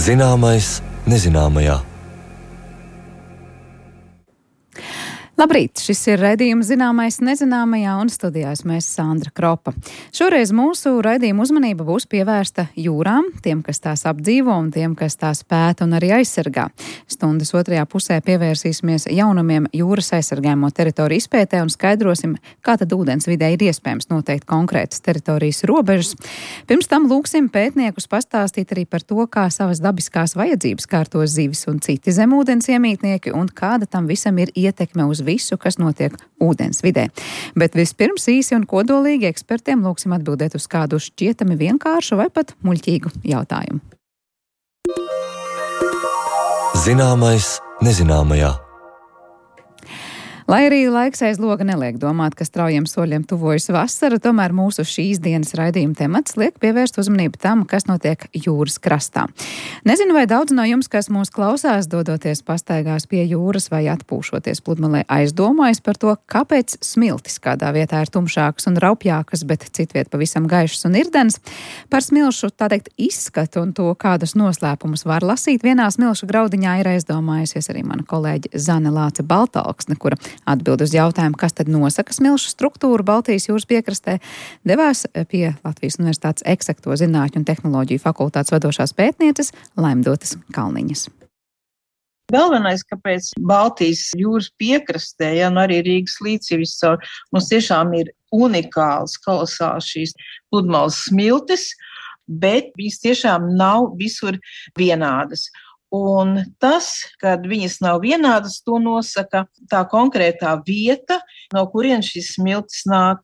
Zināmais nezināmajā. Labrīt! Šis ir raidījums Zināmais nezināmajā, un studijās mēs Sandra Kropa. Šoreiz mūsu raidījuma uzmanība būs pievērsta jūrām, tiem, kas tās apdzīvo un tiem, kas tās pēta un arī aizsargā. Stundas otrajā pusē pievērsīsimies jaunumiem jūras aizsargājamo teritoriju izpētē un skaidrosim, kā tad ūdens vidē ir iespējams noteikt konkrētas teritorijas robežas. Pirms tam lūksim pētniekus pastāstīt arī par to, kā savas dabiskās vajadzības kārto zivis un citi zemūdens iemītnieki un kāda tam visam ir ietekme uz visu, kas notiek ūdens vidē. Bet vispirms īsi un kodolīgi ekspertiem lūksim atbildēt uz kādu šķietami vienkāršu vai pat muļķīgu jautājumu. Zināmais nezināmajā. Lai arī laiks aiz loga neliek domāt, ka straujiem soļiem tuvojas vasara, tomēr mūsu šīs dienas raidījuma temats liek pievērst uzmanību tam, kas notiek jūras krastā. Nezinu, vai daudz no jums, kas mūs klausās, dodoties pastaigās pie jūras vai atpūšoties pludmalē, aizdomājas par to, kāpēc smiltis kādā vietā ir tumšākas un raupjākas, bet citviet pavisam gaišas un irdens. Par smilšu, tā teikt, izskatu un to, kādus noslēpumus var lasīt vienā smilšu graudiņā, ir aizdomājusies arī mana kolēģe Zane Lāce Baltalksne, kura atbild uz jautājumu, kas tad nosaka smilšu struktūru Baltijas jūras piekrastē, devās pie Latvijas Universitātes Eksakto zinātņu un tehnoloģiju fakultātes vadošās pētnieces Laimdotas Kalniņas. Galvenais, kāpēc Baltijas jūras piekrastē, un arī Rīgas līcī viscaur, mums tiešām ir unikāls, kolosāls šīs pludmales smiltis, bet viņas tiešām nav visur vienādas. Un tas, kad viņas nav vienādas, to nosaka tā konkrētā vieta, no kurienes šis smiltis nāk.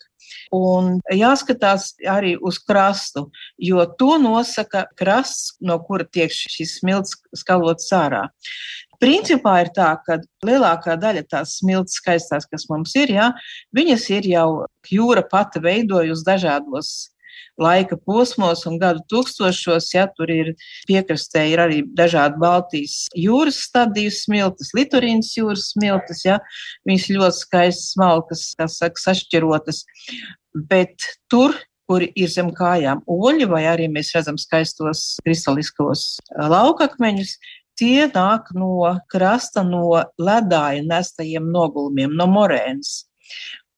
Un jāskatās arī uz krastu, jo to nosaka krasts, no kura tiek šis smilts skalots ārā. Principā ir tā, ka lielākā daļa tās smiltis skaistās, kas mums ir, viņas ir jau jūra pati veidojusi dažādos laika posmos un gadu tūkstošos, tur ir piekrastē ir arī dažādi Baltijas jūras stadiju smiltis, Litorīnas jūras smiltis, viņas ļoti skaistas, smalkas, sašķirotas, bet tur, kur ir zem kājām oļi, vai arī mēs redzam skaistos kristaliskos laukakmeņus, tie nāk no krasta, no ledāja nestajiem nogulumiem, no morēnas.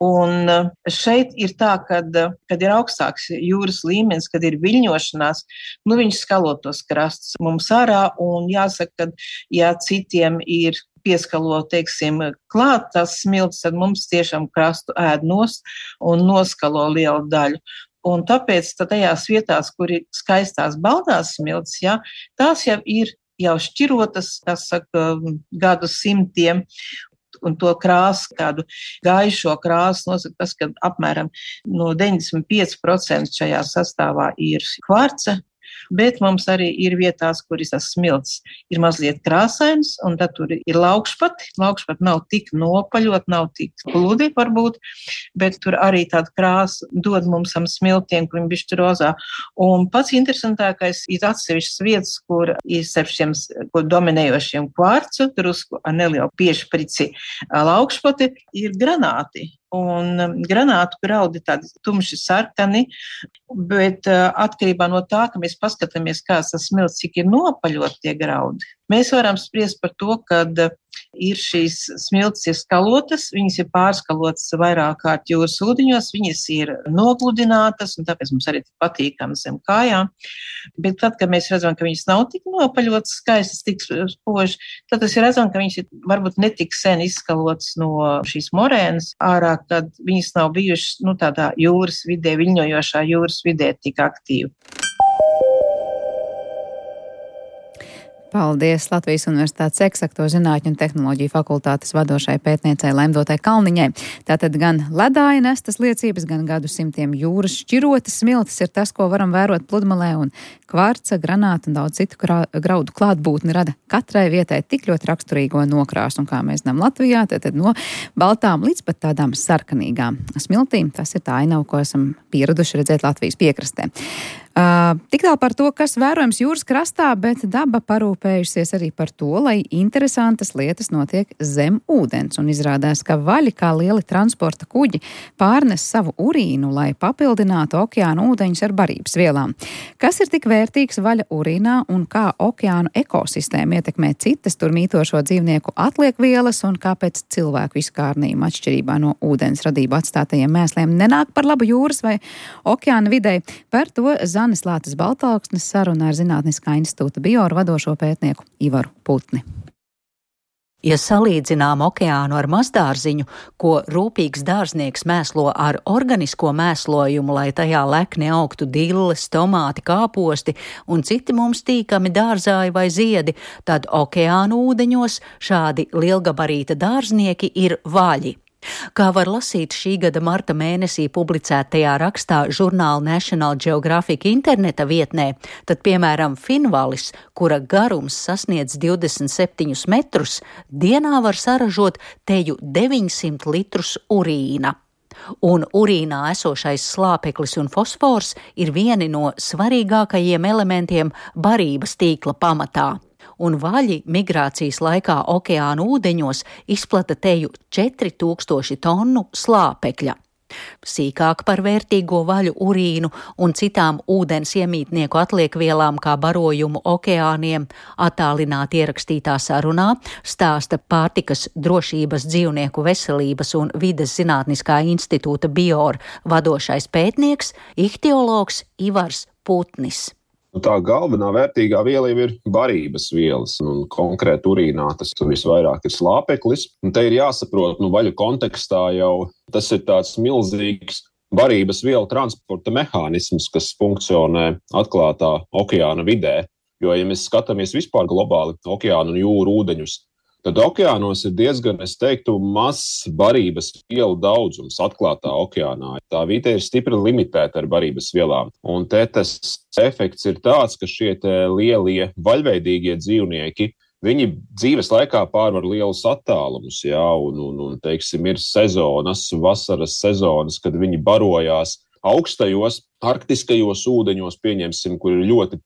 Un šeit ir tā, kad ir augstāks jūras līmenis, kad ir viļņošanās, viņš skalo tos krastus mums ārā, un jāsaka, ka citiem ir pieskalo, klāt tās smiltis, tad mums tiešām krastu ēd nost un noskalo lielu daļu. Un tāpēc tajās vietās, kur ir skaistās baltās smiltis, tās jau ir šķirotas, gadu simtiem, un to krāsu, kādu gaišo krāsu nosaka tas, ka apmēram no 95% šajā sastāvā ir kvarca, bet mums arī ir vietās, kur tas smilts ir mazliet krāsains, un tad tur ir laukšpati. Laukšpati nav tik nopaļot, nav tik gludi varbūt, bet tur arī tāda krāsa dod mums smiltiem, kur viņi bišķi rozā. Un pats interesantākais ir atsevišķas vietas, kur ir šiem dominējošiem kvarcu, drusku ar nelielu piešprici laukšpati, ir granāti. Un granātu graudi tādi tumši sarkani, bet atkarībā no tā, ka mēs paskatāmies, kāds tas smilts, cik ir nopaļot tie graudi, mēs varam spriest par to, kad ir šīs smiltis ir skalotas, viņas ir pārskalotas vairāk kārt jūras ūdeņos, viņas ir nogludinātas, un tāpēc mums arī patīkam zem kājām. Bet tad, kad mēs redzam, ka viņas nav tik nopaļotas, skaistas, tik spoži, tad tas ir redzam, ka viņas ir varbūt netik sen izskalotas no šīs morēnas ārā, kad viņas nav bijušas, tādā jūras vidē, viļņojošā jūras vidē tik aktīvi. Paldies Latvijas Universitātes Eksakto zinātņu un tehnoloģiju fakultātes vadošai pētniecei Laimdotai Kalniņai. Tātad gan ledāja nestas liecības, gan gadu simtiem jūras šķirotas smiltis ir tas, ko varam vērot pludmalē, un kvarca, granāta un daudz citu graudu klātbūtni rada katrai vietai tik ļoti raksturīgo nokrāsu, un kā mēs zinām Latvijā, tad no baltām līdz pat tādām sarkanīgām smiltīm. Tas ir tā ainava, ko esam pieraduši redzēt Latvijas piekrastē. Tik tālu par to, kas vērojams jūras krastā, bet daba parūpējusies arī par to, lai interesantas lietas notiek zem ūdens. Un izrādās, ka vaļi kā lieli transporta kuģi pārnes savu urīnu, lai papildinātu okeāna ūdeņus ar barības vielām. Kas ir tik vērtīgs vaļa urīnā un kā okeānu ekosistēma ietekmē citas tur mītošo dzīvnieku atliekvielas un kāpēc cilvēku izkārnījuma atšķirībā no ūdens radību atstātajiem mēsliem nenāk par labu jūras vai okeāna videi? Par to Zanes Lātes Baltalksnes sarunā ar Zinātniskā institūta bioru vadošo pētnieku Ivaru Putni. Ja salīdzinām okeānu ar mazdārziņu, ko rūpīgs dārznieks mēslo ar organisko mēslojumu, lai tajā lekni augtu dilles, tomāti, kāposti un citi mums tīkami dārzāji vai ziedi, tad okeānu ūdeņos šādi lielgabarīta dārznieki ir vaļi. Kā var lasīt šī gada marta mēnesī publicētajā rakstā žurnāla National Geographic interneta vietnē, tad, piemēram, finvalis, kura garums sasniedz 27 metrus, dienā var saražot teju 900 litrus urīna. Un urīnā esošais slāpeklis un fosfors ir vieni no svarīgākajiem elementiem barības tīkla pamatā. Un vaļi migrācijas laikā okeāna ūdeņos izplata teju 4000 tonu slāpekļa. Sīkāk par vērtīgo vaļu urīnu un citām ūdens iemītnieku atliekvielām kā barojumu okeāniem attālināti ierakstītā sarunā stāsta Pārtikas drošības, dzīvnieku veselības un vides zinātniskā institūta bioru vadošais pētnieks, ihtiologs Ivars Putnis. Tā galvenā vērtīgā viela jau ir barības vielas, un konkrēti urīnā tas visvairāk ir slāpeklis. Un te ir jāsaprot, vaļu kontekstā jau tas ir tāds milzīgs barības vielu transporta mehānisms, kas funkcionē atklātā okeāna vidē. Jo, ja mēs skatāmies vispār globāli okeānu un jūru ūdeņus, tad okeānos ir diezgan, es teiktu, mazs barības vielu daudzums atklātā okeānā. Tā vide ir stipri limitēta ar barības vielām. Un te tas efekts ir tāds, ka šie lielie vaļveidīgie dzīvnieki, viņi dzīves laikā pārvar lielus attālumus, un teiksim, ir sezonas, vasaras sezonas, kad viņi barojās augstajos, arktiskajos ūdeņos, pieņemsim, kur ir ļoti,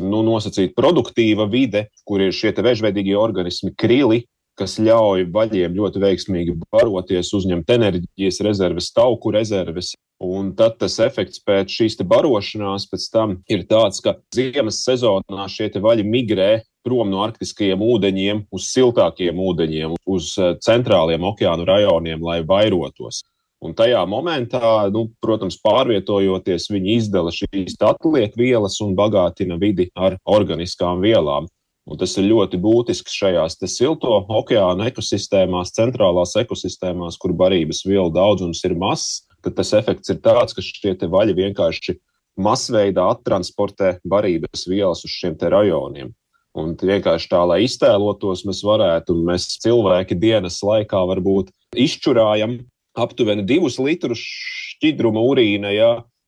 nosacīta produktīva vide, kur ir šie vežveidīgie organismi krili, kas ļauj vaļiem ļoti veiksmīgi baroties, uzņemt enerģijas rezerves, tauku rezerves. Un tad tas efekts pēc šīs barošanās pēc tam ir tāds, ka ziemas sezonā šie vaļi migrē prom no arktiskajiem ūdeņiem uz siltākiem ūdeņiem, uz centrāliem okeānu rajoniem, lai vairotos. Un tajā momentā, protams, pārvietojoties, viņi izdala šīs atliekvielas un bagātina vidi ar organiskām vielām. Un tas ir ļoti būtisks šajās silto okeāna ekosistēmās, centrālās ekosistēmās, kur barības vielu daudzums ir mazs, tad tas efekts ir tāds, ka šie vaļi vienkārši masveidā attransportē barības vielas uz šiem rajoniem. Un vienkārši tā, lai iztēlotos, mēs cilvēki dienas laikā varbūt izšķurājam aptuveni 2 litrus šķidruma urīna,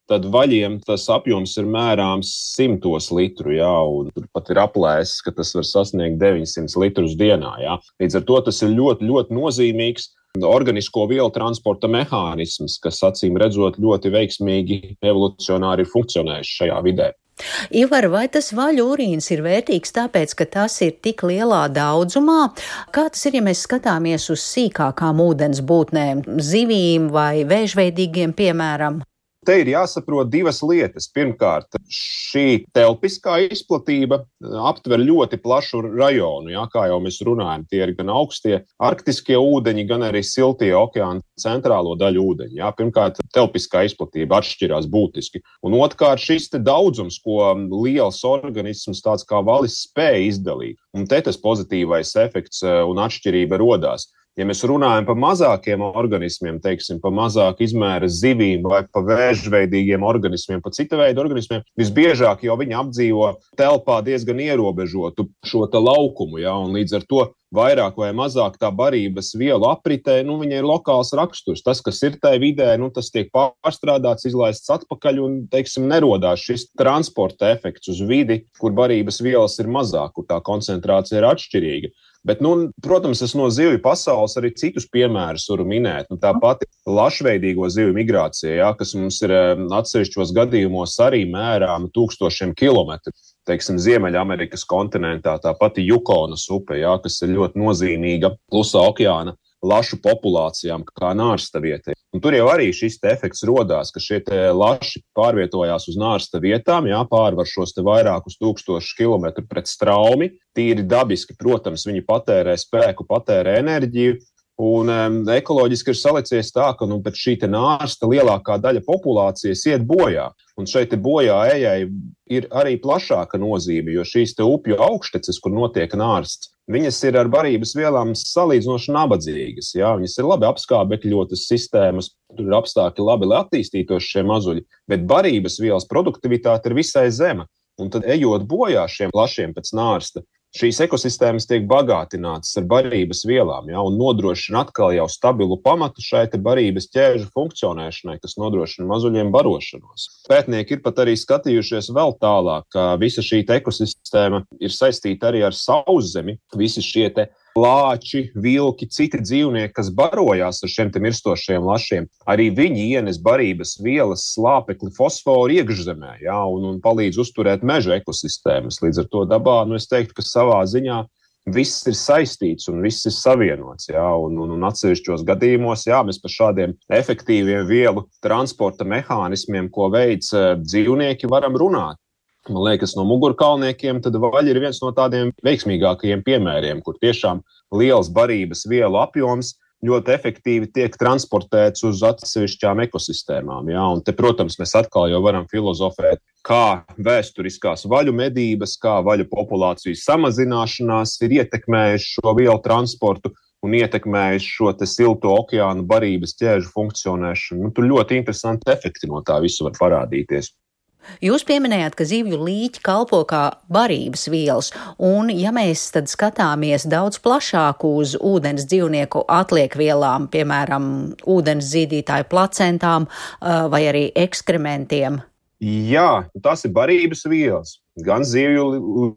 tad vaļiem tas apjoms ir mērāms 100 litru, un tur pat ir aplēses, ka tas var sasniegt 900 litrus dienā, Līdz ar to tas ir ļoti, ļoti nozīmīgs organisko vielu transporta mehānisms, kas acīm redzot ļoti veiksmīgi evolucionāri ir funkcionējis šajā vidē. Ivar, vai tas vaļu urīns ir vērtīgs tāpēc, ka tas ir tik lielā daudzumā? Kā tas ir, ja mēs skatāmies uz sīkākām ūdens būtnēm, zivīm vai vēžveidīgiem, piemēram? Te ir jāsaprot 2 lietas. Pirmkārt, šī telpiskā izplatība aptver ļoti plašu rajonu, kā jau mēs runājam. Tie ir gan augstie arktiskie ūdeņi, gan arī siltie okeāna centrālo daļu ūdeņi. Pirmkārt, telpiskā izplatība atšķirās būtiski. Un otrkārt, šis daudzums, ko liels organisms tāds kā valis spēja izdalīt. Un te tas pozitīvais efekts un atšķirība rodās. Ja mēs runājam par mazākiem organismiem, par mazāk izmēra zivīm vai par vēžveidīgiem organismiem, par cita veida organismiem, visbiežāk jau viņi apdzīvo telpā diezgan ierobežotu šo laukumu, un līdz ar to vairāk vai mazāk tā barības vielu apritē, viņai ir lokāls raksturs. Tas, kas ir tajā vidē, tas tiek pārstrādāts, izlaists atpakaļ un, nerodās šis transporta efekts uz vidi, kur barības vielas ir mazāk, kur tā koncentrācija ir atšķirīga. Bet, protams, es no zivju pasaules arī citus piemērus varu minēt. Tā pati lašveidīgo zivju migrācija, ja, kas mums ir atsevišķos gadījumos arī mērām 1000 kilometru. Teiksim, Ziemeļamerikas kontinentā, tā pati Jukonas upe, ja, kas ir ļoti nozīmīga Klusā okeāna lašu populācijām kā nārsta vietai. Un tur jau arī šis efekts rodās, ka šie laši pārvietojās uz nārsta vietām, jā, pārvar šos vairākus 1000 kilometru pret straumi. Tīri dabiski, protams, viņi patērē spēku, patērē enerģiju. Un ekoloģiski ir salicies tā, ka pēc šī nārsta lielākā daļa populācijas iet bojā. Un šeit bojā ejai ir arī plašāka nozīme, jo šīs upju augšteces, kur notiek nārsts, viņas ir ar barības vielām salīdzinoši nabadzīgas. Jā? Viņas ir labi apskābekļotas sistēmas, tur ir apstākļi labi, lai attīstītos šie mazuļi, bet barības vielas produktivitāte ir visai zema. Un tad ejot bojā šiem lašiem pēc nārsta, šīs ekosistēmas tiek bagātinātas ar barības vielām, ja, un nodrošina atkal jau stabilu pamatu šai barības ķēžu funkcionēšanai, kas nodrošina mazuļiem barošanos. Pētnieki ir pat arī skatījušies vēl tālāk, ka visa šī ekosistēma ir saistīta arī ar sauszemi, visi šie lāči, vilki, citi dzīvnieki, kas barojās ar šiem mirstošiem lašiem, arī viņi ienes barības vielas, slāpekli, fosforu iekšzemē, ja, un palīdz uzturēt meža ekosistēmas. Līdz ar to dabā, es teiktu, ka savā ziņā viss ir saistīts un viss ir savienots, ja, un atsevišķos gadījumos, jā, mēs par šādiem efektīviem vielu transporta mehānismiem, ko veids dzīvnieki, varam runāt. Man liekas, no mugurkaulniekiem tad vaļa ir viens no tādiem veiksmīgākajiem piemēriem, kur tiešām liels barības vielu apjoms ļoti efektīvi tiek transportēts uz atsevišķām ekosistēmām. Ja? Un te, protams, mēs atkal jau varam filozofēt, kā vēsturiskās vaļu medības, kā vaļu populācijas samazināšanās ir ietekmējuši šo vielu transportu un ietekmējuši šo silto okeānu barības ķēžu funkcionēšanu. Tur ļoti interesanti efekti no tā visu var parādīties. Jūs pieminējāt, ka zivju līķi kalpo kā barības vielas, un ja mēs tad skatāmies daudz plašāk uz ūdens dzīvnieku atliekvielām, piemēram, ūdens zīdītāju placentām vai arī ekskrementiem? Jā, tās ir barības vielas, gan zivju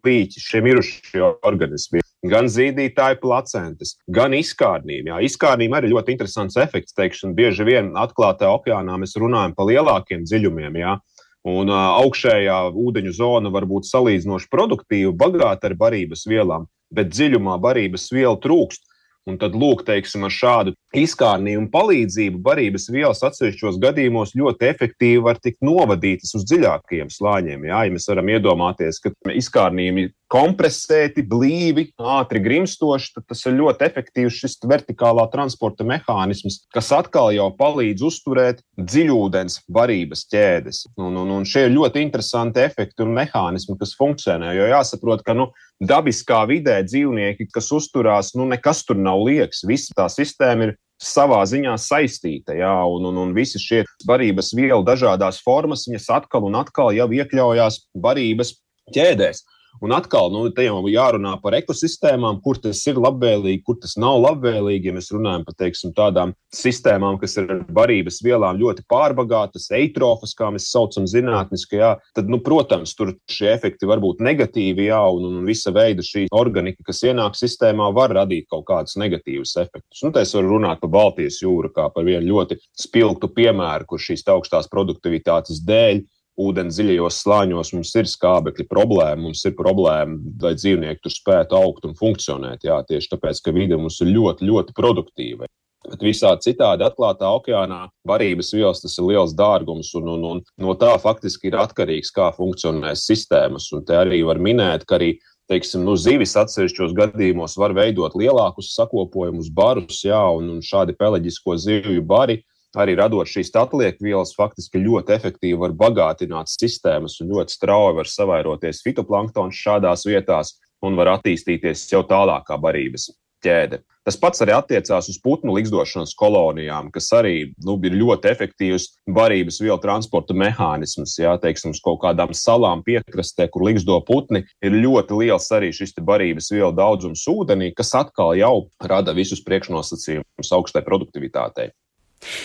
līķi, šie mirušie organismi, gan zīdītāju placentas, gan izkārnīm. Jā, izkārnīm arī ļoti interesants efekts, teikšana, bieži vien atklātā okeānā mēs runājam par lielākiem dziļumiem, jā. Un augšējā ūdeņu zona var būt salīdzinoši produktīva, bagāta ar barības vielām, bet dziļumā barības viela trūkst. Un tad, lūk, teiksim, ar šādu izkārnījumu palīdzību barības vielas atsevišķos gadījumos ļoti efektīvi var tikt novadītas uz dziļākajiem slāņiem. Jā, ja mēs varam iedomāties, ka izkārnījumi kompresēti, blīvi, ātri grimstoši, tad tas ir ļoti efektīvs šis vertikālā transporta mehānisms, kas atkal jau palīdz uzturēt dziļūdens barības ķēdes. Un šie ir ļoti interesanti efekti un mehānismi, kas funkcionē, jo jāsaprot, ka dabiskā vidē dzīvnieki, kas uzturās, nekas tur nav liekas, visa tā sistēma ir savā ziņā saistīta, jā, un visi šie barības vielu dažādās formas, viņas atkal un atkal jau iekļaujās barības ķēdēs. Un atkal, te jau jārunā par ekosistēmām, kur tas ir labvēlīgi, kur tas nav labvēlīgi. Ja mēs runājam par, teiksim, tādām sistēmām, kas ir ar barības vielām ļoti pārbagātas, eitrofas, kā mēs saucam zinātniski, jā, tad, protams, tur šie efekti var būt negatīvi, jā, un visa veida šī organika, kas ienāk sistēmā, var radīt kaut kādus negatīvus efektus. Te es varu runāt par Baltijas jūru kā par vienu ļoti spilgtu piemēru, kur šīs augstās produktivitātes dēļ ūdens dziļajos slāņos mums ir skābekļa problēma, mums ir problēma, lai dzīvnieki tur spētu augt un funkcionēt. Jā, tieši tāpēc, ka vide mums ir ļoti, ļoti produktīva. Bet visādi citādi atklātā okeānā barības vielas tas ir liels dārgums un no tā faktiski ir atkarīgs, kā funkcionēs sistēmas. Un te arī var minēt, ka arī, teiksim, zivis atsevišķos gadījumos var veidot lielākus sakopojumus, barus, jā, un šādi peleģisko zivju bari, arī radot šīs atliekvielas, faktiski ļoti efektīvi var bagātināt sistēmas un ļoti strauji var savairoties fitoplanktons šādās vietās un var attīstīties jau tālākā barības ķēde. Tas pats arī attiecās uz putnu ligzdošanas kolonijām, kas arī ir ļoti efektīvs barības vielu transporta mehānisms. Jā, teiksim, uz kaut kādām salām piekrastē, kur ligzdo putni, ir ļoti liels arī šis barības vielu daudzums ūdenī, kas atkal jau rada visus priekšnosacījumus augstai produktivitātei.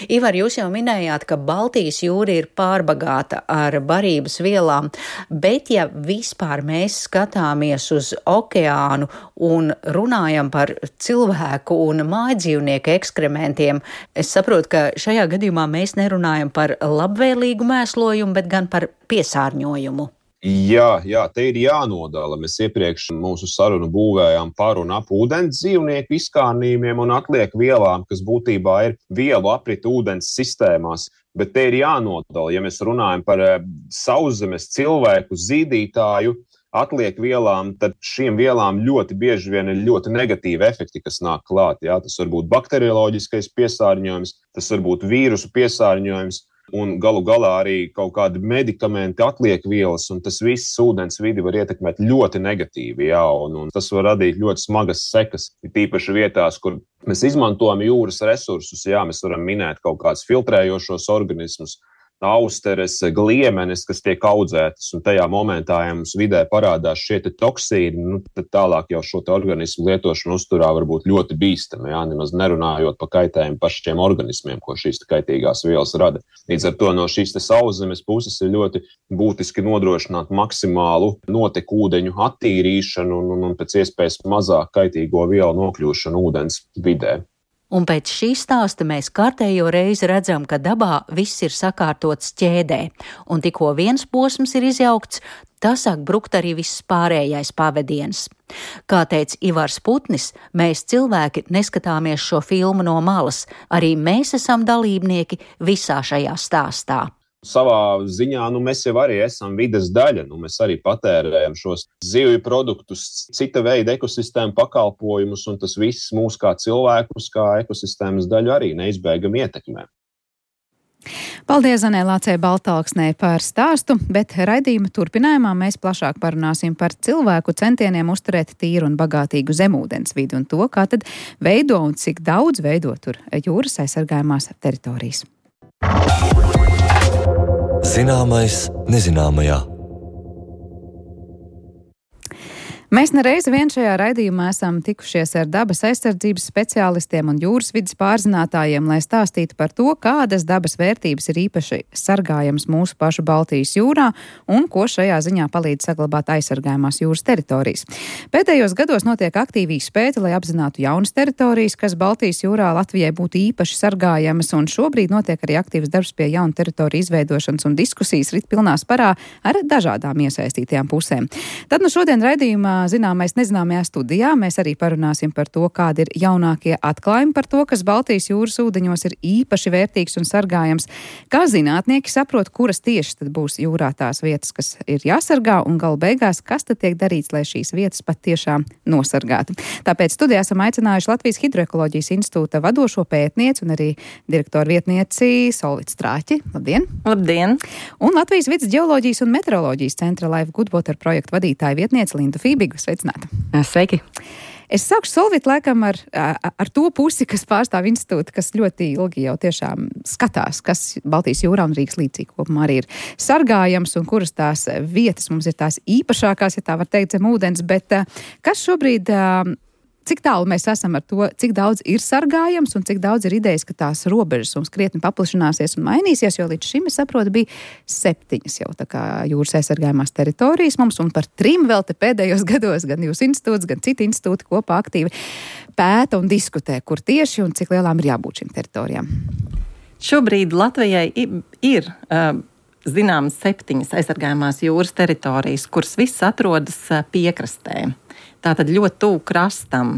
Ivar, jūs jau minējāt, ka Baltijas jūra ir pārbagāta ar barības vielām, bet ja vispār mēs skatāmies uz okeānu un runājam par cilvēku un mājdzīvnieku ekskrementiem, es saprotu, ka šajā gadījumā mēs nerunājam par labvēlīgu mēslojumu, bet gan par piesārņojumu. Jā, te ir jānodala. Mēs iepriekš mūsu sarunu būvējām par un ap ūdens dzīvnieku izkārnījumiem un atliek vielām, kas būtībā ir vielu aprita ūdens sistēmās. Bet te ir jānodala, ja mēs runājam par sauszemes cilvēku zīdītāju atliek vielām, tad šīm vielām ļoti bieži vien ir ļoti negatīvi efekti, kas nāk klāt. Jā. Tas var būt bakterioloģiskais piesārņojums, tas var būt vīrusu piesārņojums. Un galu galā arī kaut kādi medikamenti atliek vielas, un tas viss ūdens vidi var ietekmēt ļoti negatīvi, jā, un tas var radīt ļoti smagas sekas. Tīpaši vietās, kur mēs izmantojam jūras resursus, jā, mēs varam minēt kaut kādus filtrējošos organismus, austeres, gliemenes, kas tiek audzētas, un tajā momentā, ja mums vidē parādās šie toksīni, tad tālāk jau šo organismu lietošanu uzturā var būt ļoti bīstami, jā, nemaz nerunājot par kaitējumu pašiem organismiem, ko šīs kaitīgās vielas rada. Līdz ar to no šīs sauszemes puses ir ļoti būtiski nodrošināt maksimālu notekūdeņu attīrīšanu un pēc iespējas mazāk kaitīgo vielu nokļūšanu ūdens vidē. Un pēc šī stāsta mēs kārtējo reizi redzam, ka dabā viss ir sakārtots ķēdē, un tikko viens posms ir izjaukts, tas sāk brukt arī viss pārējais pavadiens. Kā teica Ivars Putnis, mēs cilvēki neskatāmies šo filmu no malas, arī mēs esam dalībnieki visā šajā stāstā. Savā ziņā mēs jau arī esam vides daļa. Mēs arī patērējam šos zivju produktus, cita veida ekosistēmu pakalpojumus, un tas viss mūs kā cilvēkus, kā ekosistēmas daļu arī neizbēgami ietekmē. Paldies Zanē Lācei Baltalksnei par stāstu, bet raidījuma turpinājumā mēs plašāk parunāsim par cilvēku centieniem uzturēt tīru un bagātīgu zemūdens vidi un to, kā tad veido un cik daudz veido tur jūras aizsargājumās teritorijas. Zināmais nezināmajā. Mēs nereizi vien šajā raidījumā esam tikušies ar dabas aizsardzības speciālistiem un jūras vidas pārzinātājiem, lai stāstītu par to, kādas dabas vērtības ir īpaši sargājamas mūsu pašu Baltijas jūrā un ko šajā ziņā palīdz saglabāt aizsargājumās jūras teritorijas. Pēdējos gados notiek aktīvi izpēti, lai apzinātu jaunas teritorijas, kas Baltijas jūrā Latvijai būtu īpaši sargājamas, un šobrīd notiek arī aktīvs darbs pie jaunu teritoriju izveidošanas un diskusijas rit pilnā sparā ar dažādām iesaistītajām pusēm. Tad šodien raidījumā Zināmais nezināmajā studijā mēs arī parunāsim par to, kādi ir jaunākie atklājumi par to, kas Baltijas jūras ūdeņos ir īpaši vērtīgs un sargājams, kā zinātnieki saprot, kuras tieši tad būs jūrā tās vietas, kas ir jāsargā, un galu beigās, kas tad tiek darīts, lai šīs vietas pat tiešām nosargātu. Tāpēc studijā esam aicinājuši Latvijas Hidroekoloģijas institūta vadošo pētnieci un arī direktoru vietnieci Solvitu Strāķi. Labdien! Labdien! Un Latvijas vidas ģeoloģijas un meteoroloģijas centra Life Goodwater projektu vadītāja vietniece Lindu Fībigu. Sveicināta! Sveiki! Es sākšu Solvitu laikam ar to pusi, kas pārstāv institūtu, kas ļoti ilgi jau tiešām skatās, kas Baltijas jūrā un Rīgas līcī kopumā arī ir sargājams un kuras tās vietas mums ir tās īpašākās, ja tā var teikt, zem ūdens, bet kas šobrīd... Cik tālu mēs esam ar to, cik daudz ir sargājams un cik daudz ir idejas, ka tās robežas mums krietni paplašināsies un mainīsies, jo līdz šim, es saprotu, bija 7 jau tā kā jūras aizsargājumās teritorijas mums, un par 3 vēl te pēdējos gados gan jūsu institūts, gan citi institūti kopā aktīvi pēta un diskutē, kur tieši un cik lielām ir jābūt šīm teritorijām. Šobrīd Latvijai ir zināmas 7 aizsargājumās jūras teritorijas, kuras viss atrodas piekrastē. Tātad ļoti tuvu krastam.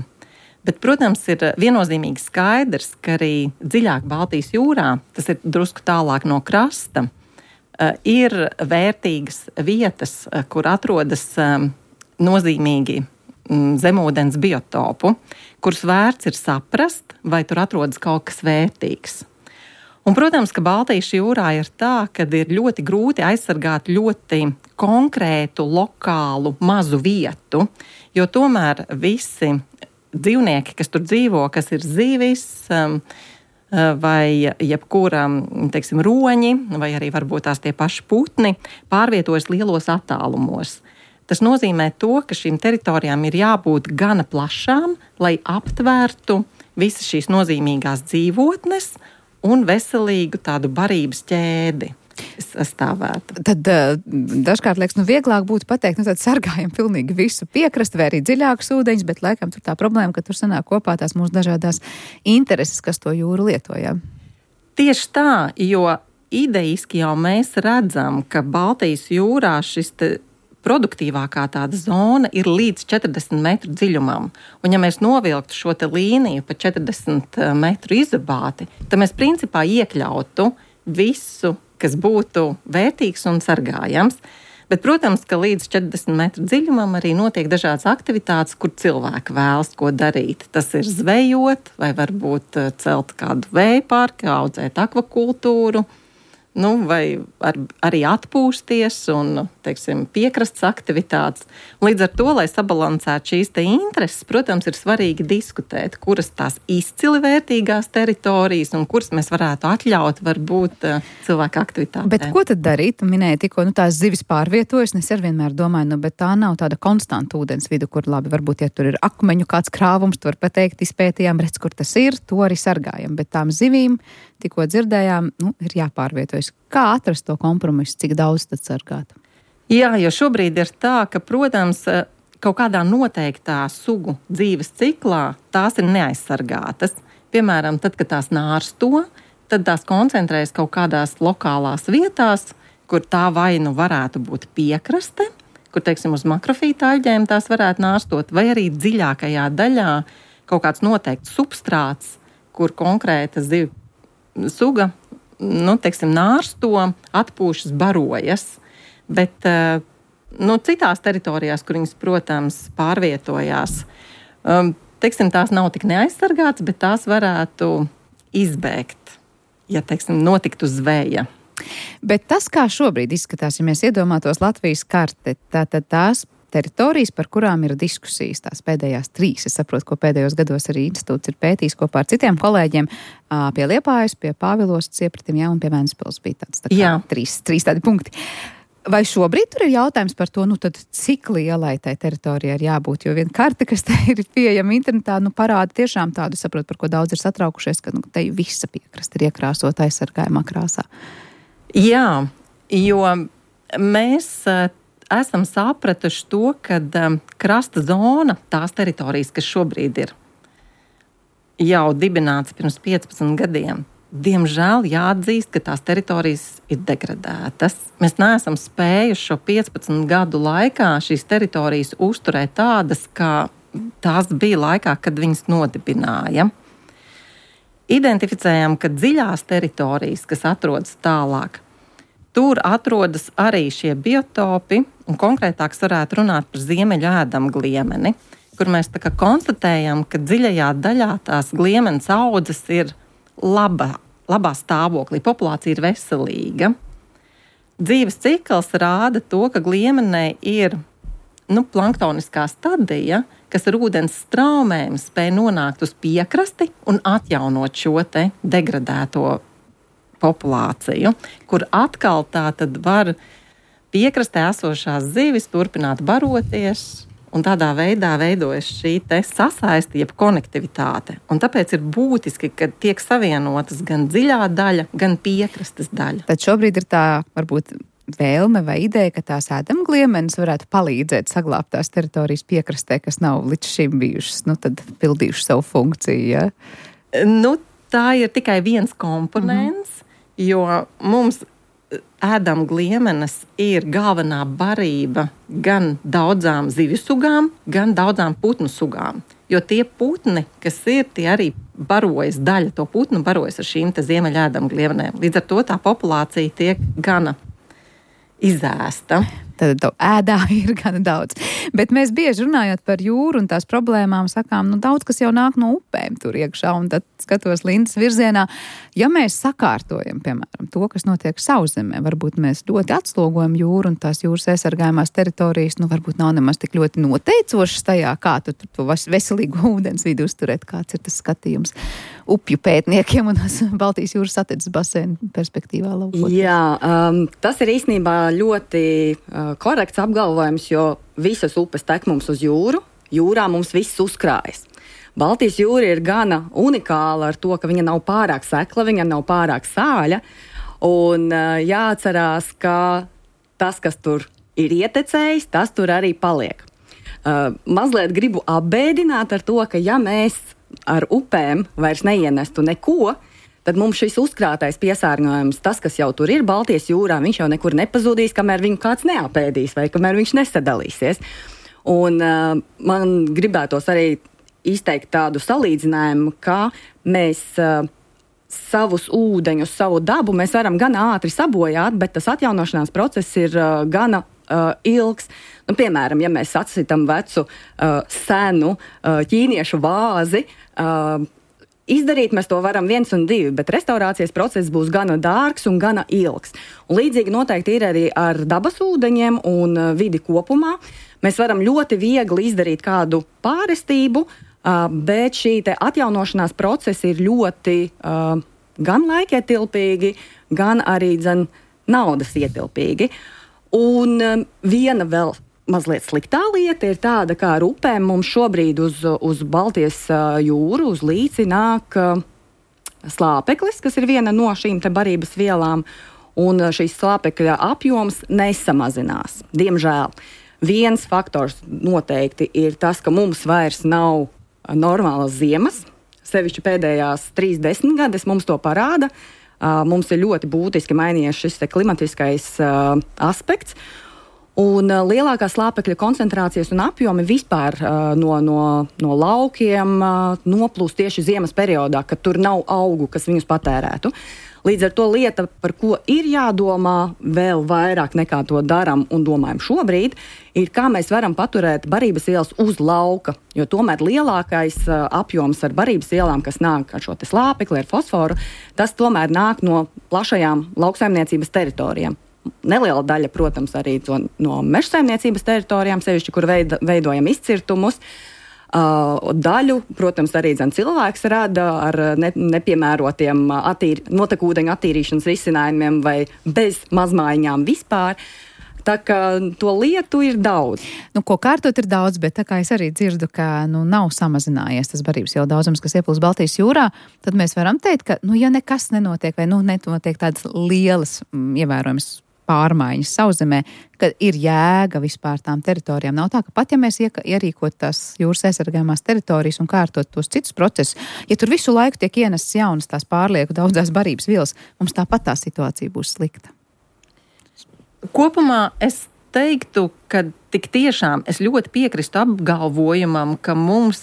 Bet, protams, ir viennozīmīgi skaidrs, ka arī dziļāk Baltijas jūrā, tas ir drusku tālāk no krasta, ir vērtīgas vietas, kur atrodas nozīmīgi zemūdens biotopu, kurus vērts ir saprast, vai tur atrodas kaut kas vērtīgs. Un, protams, ka Baltijas jūrā ir tā, ka ir ļoti grūti aizsargāt ļoti konkrētu, lokālu, mazu vietu, jo tomēr visi dzīvnieki, kas tur dzīvo, kas ir zivis vai jebkura, teiksim, roņi, vai arī varbūt tās tie paši putni, pārvietojas lielos attālumos. Tas nozīmē to, ka šīm teritorijām ir jābūt gana plašām, lai aptvērtu visas šīs nozīmīgās dzīvotnes, un veselīgu tādu barības ķēdi sastāvētu. Tad dažkārt liekas, vieglāk būtu pateikt, tad sargājam pilnīgi visu piekrastu vai arī dziļākus ūdeņus, bet laikam tur tā problēma, ka tur sanāk kopā tās mūsu dažādās intereses, kas to jūru lietojam. Tieši tā, jo idejiski jau mēs redzam, ka Baltijas jūrā šis produktīvākā tāda zona ir līdz 40 metru dziļumam. Un ja mēs novilktu šo te līniju pa 40 metru izabāti, tad mēs principā iekļautu visu, kas būtu vērtīgs un sargājams. Bet, protams, ka līdz 40 metru dziļumam arī notiek dažādas aktivitātes, kur cilvēki vēlas ko darīt. Tas ir zvejot, vai varbūt celt kādu vēja parku, audzēt akvakultūru, vai arī atpūsties un, piekrastes aktivitātes. Līdz ar to, lai sabalansētu šīs te intereses, protams, ir svarīgi diskutēt, kuras tās izcili vērtīgās teritorijas un kuras mēs varētu atļaut varbūt cilvēku aktivitātēm. Bet ko tad darīt? Minēja tikko, tās zivis pārvietojas, es ar vienmēr domāju, bet tā nav tāda konstanta ūdens vidu, kur labi, varbūt, ja tur ir akmeņu kāds krāvums, tu var pateikt, izpētījām, redz, kur tas ir, to arī sargājam, bet tām zivīm, tikko dzirdējām, ir jāpārvietojas. Kā atrast to kompromisu, cik daudz tad sargāt? Jā, jo šobrīd ir tā, ka, protams, kaut kādā noteiktā sugu dzīves ciklā tās ir neaizsargātas. Piemēram, tad, kad tās nārsto, tad tās koncentrējas kaut kādās lokālās vietās, kur tā vai varētu būt piekraste, kur, uz makrofīta aļģēm tās varētu nārstot, vai arī dziļākajā daļā kaut kāds noteikts substrāts, kur konkrēta zivju suga, nārsto, atpūšas, barojas. Bet citās teritorijās, kur viņas, protams, pārvietojās, tās nav tik neaizsargātas, bet tās varētu izbēgt, ja, notiktu zveja. Bet tas, kā šobrīd izskatās, ja mēs iedomātos Latvijas karte, tātad tās teritorijas, par kurām ir diskusijas, tās pēdējās 3. Es saprotu, ko pēdējos gados arī institūts ir pētījis kopā ar citiem kolēģiem pie Liepājas, pie Pāvilostas, Iepratim, un pie Ventspils bija tāds tā kā 3 tādi punkti. Vai šobrīd tur ir jautājums par to, tad cik lielai tai teritorijai ir jābūt, jo viena karte, kas te ir pieejama internetā, parāda tiešām tādu, saprot, par ko daudz ir satraukušies, ka te visa piekrasta ir iekrāsot aizsargājumā krāsā. Jā, jo mēs esam sapratuši to, ka krasta zona, tās teritorijas, kas šobrīd ir jau dibināts pirms 15 gadiem, diemžēl jāatzīst, ka tās teritorijas ir degradētas. Mēs neesam spējuši šo 15 gadu laikā šīs teritorijas uzturēt tādas, kā tās bija laikā, kad viņas nodibināja. Identificējām, ka dziļās teritorijas, kas atrodas tālāk, tur atrodas arī šie biotopi, un konkrētāk varētu runāt par ziemeļu ēdamu gliemeni, kur mēs konstatējam, ka dziļajā daļā tās gliemenes audzes ir labā stāvoklī, populācija ir veselīga. Dzīves cikls rāda to, ka gliemenei ir planktoniskā stadija, kas ar ūdens straumēm spēj nonākt uz piekrasti un atjaunot šo te degradēto populāciju, kur atkal tā tad var piekrastē esošās zivis turpināt baroties, un tādā veidā veidojas šī te sasaisti, jeb konektivitāte. Un tāpēc ir būtiski, ka tiek savienotas gan dziļā daļa, gan piekrastes daļa. Tad šobrīd ir tā, varbūt, vēlme vai ideja, ka tās ēdamgliemenes varētu palīdzēt saglābt tās teritorijas piekrastē, kas nav līdz šim bijušas, tad pildījuši savu funkciju, ja? Tā ir tikai viens komponents, jo mums ēdamgliemenes ir galvenā barība gan daudzām zivju sugām, gan daudzām putnu sugām. Jo tie putni, kas ir, tie arī barojas, daļa to putnu barojas ar šīm te ziemeļu ēdamgliemenēm. Līdz ar to tā populācija tiek gana izēsta. Tad ēdā ir gan daudz. Bet mēs bieži runājot par jūru un tās problēmām sakām, daudz kas jau nāk no upēm tur iekšā, un tad skatos Lindas virzienā. Ja mēs sakārtojam, piemēram, to, kas notiek sauszemē, varbūt mēs ļoti atslogojam jūru un tās jūras aizsargājumās teritorijas, varbūt nav nemaz tik ļoti noteicošas tajā, kā tu to veselīgu ūdens vidi uzturēt, kāds ir tas skatījums upju pētniekiem un Baltijas jūras satiksmes basēnu perspektīvā laukot. Jā, tas ir īstenībā ļoti korekts apgalvojums, jo visas upes tek mums uz jūru, jūrā mums viss uzkrājas. Baltijas jūra ir gana unikāla ar to, ka viņa nav pārāk sekla, viņa nav pārāk sāļa. Un jāatcerās, ka tas, kas tur ir ietecējis, tas tur arī paliek. Mazliet gribu apbēdināt ar to, ka ja mēs ar upēm vairs neienestu neko, tad mums šis uzkrātais piesārņojums, tas, kas jau tur ir Baltijas jūrā, viņš jau nekur nepazudīs, kamēr viņu kāds neapēdīs vai kamēr viņš nesadalīsies. Un man gribētos arī izteikt tādu salīdzinājumu, ka mēs savus ūdeņus, savu dabu mēs varam gan ātri sabojāt, bet tas atjaunošanās process ir gana ilgs. Nu, piemēram, ja mēs atsitam vecu, senu ķīniešu vāzi, izdarīt mēs to varam 1 un 2, bet restaurācijas process būs gana dārgs un gana ilgs. Un līdzīgi noteikti ir arī ar dabas ūdeņiem un vidi kopumā. Mēs varam ļoti viegli izdarīt kādu pārestību, bet šī te atjaunošanās procesi ir ļoti gan laikietilpīgi, gan arī naudas ietilpīgi. Un viena vēl mazliet sliktā lieta ir tāda, kā ar upēm mums šobrīd uz Baltijas jūru, uz līci nāk slāpeklis, kas ir viena no šīm te barības vielām, un šīs slāpekļa apjoms nesamazinās, diemžēl. Viens faktors noteikti ir tas, ka mums vairs nav normālas ziemas, sevišķi pēdējās 30 gadus mums to parāda. Mums ir ļoti būtiski mainījies šis klimatiskais aspekts. Un lielākās slāpekļa koncentrācijas un apjomi vispār no laukiem noplūst tieši ziemas periodā, kad tur nav augu, kas viņus patērētu. Līdz ar to lieta, par ko ir jādomā vēl vairāk nekā to daram un domājam šobrīd, ir kā mēs varam paturēt barības ielas uz lauka, jo tomēr lielākais apjoms ar barības ielām, kas nāk ar šo te slāpekli, ar fosforu, tas tomēr nāk no plašajām lauksaimniecības teritorijām. Neliela daļa, protams, arī no mežsaimniecības teritorijām, sevišķi, kur veidojam izcirtumus. Daļu, protams, arī cilvēks rada ar nepiemērotiem notekūdeņu attīrīšanas risinājumiem vai bez mazmaiņām vispār. Tā kā to lietu ir daudz. Nu, ko kārtot ir daudz, bet tā kā es arī dzirdu, ka nav samazinājies tas barības jau daudzums, kas ieplūst Baltijas jūrā, tad mēs varam teikt, ka, ja nekas nenotiek vai nenotiek tādas lielas ievērojamas pārmaiņas sauszemē, ka ir jēga vispār tām teritorijām. Nav tā, ka pat ja mēs ierīkot tās jūras aizsargājumās teritorijas un kārtot tos citus procesus, ja tur visu laiku tiek ienestas jaunas tās pārlieku daudzās barības vielas, mums tāpat tā situācija būs slikta. Kopumā es teiktu, ka tik tiešām es ļoti piekristu apgalvojumam, ka mums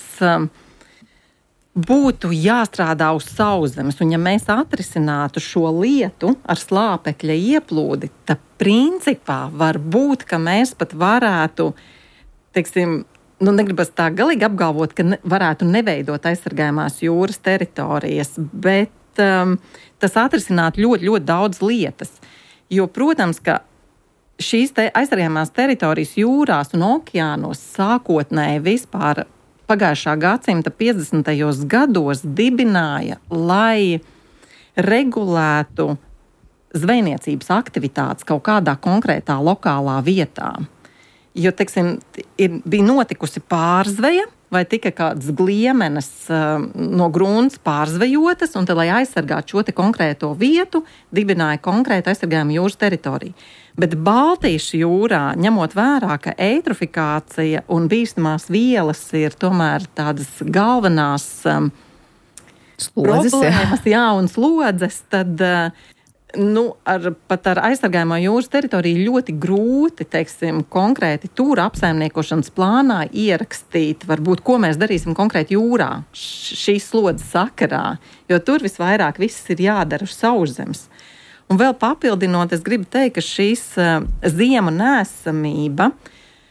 būtu jāstrādā uz sauszemes, un ja mēs atrisinātu šo lietu ar slāpekļa ieplūdi, tad principā var būt, ka mēs pat varētu, negribas tā galīgi apgalvot, ka varētu neveidot aizsargājumās jūras teritorijas, bet tas atrisināt ļoti, ļoti daudz lietas. Jo, protams, ka šīs aizsargājumās teritorijas jūrās un okeānos sākotnēji vispār pagājušā gadsimta 50. gados dibināja, lai regulētu zvejniecības aktivitātes kaut kādā konkrētā lokālā vietā. Jo, bija notikusi pārzveja vai tika kādas gliemenes no grunts pārzvejotas, un tad, lai aizsargātu šo te konkrēto vietu, dibināja konkrētu aizsargājumu jūras teritoriju. Bet Baltijas jūrā, ņemot vērā, ka eitrofikācija un bīstamās vielas ir tomēr tādas galvenās problēmas, un slodzes, tad pat ar aizsargājumā jūras teritoriju ļoti grūti, konkrēti tūra apsaimniekošanas plānā ierakstīt, varbūt, ko mēs darīsim konkrēti jūrā šīs slodzes sakarā, jo tur visvairāk viss ir jādara uz sauszemes. Un vēl papildinot, es gribu teikt, ka šīs ziemu nēsamība,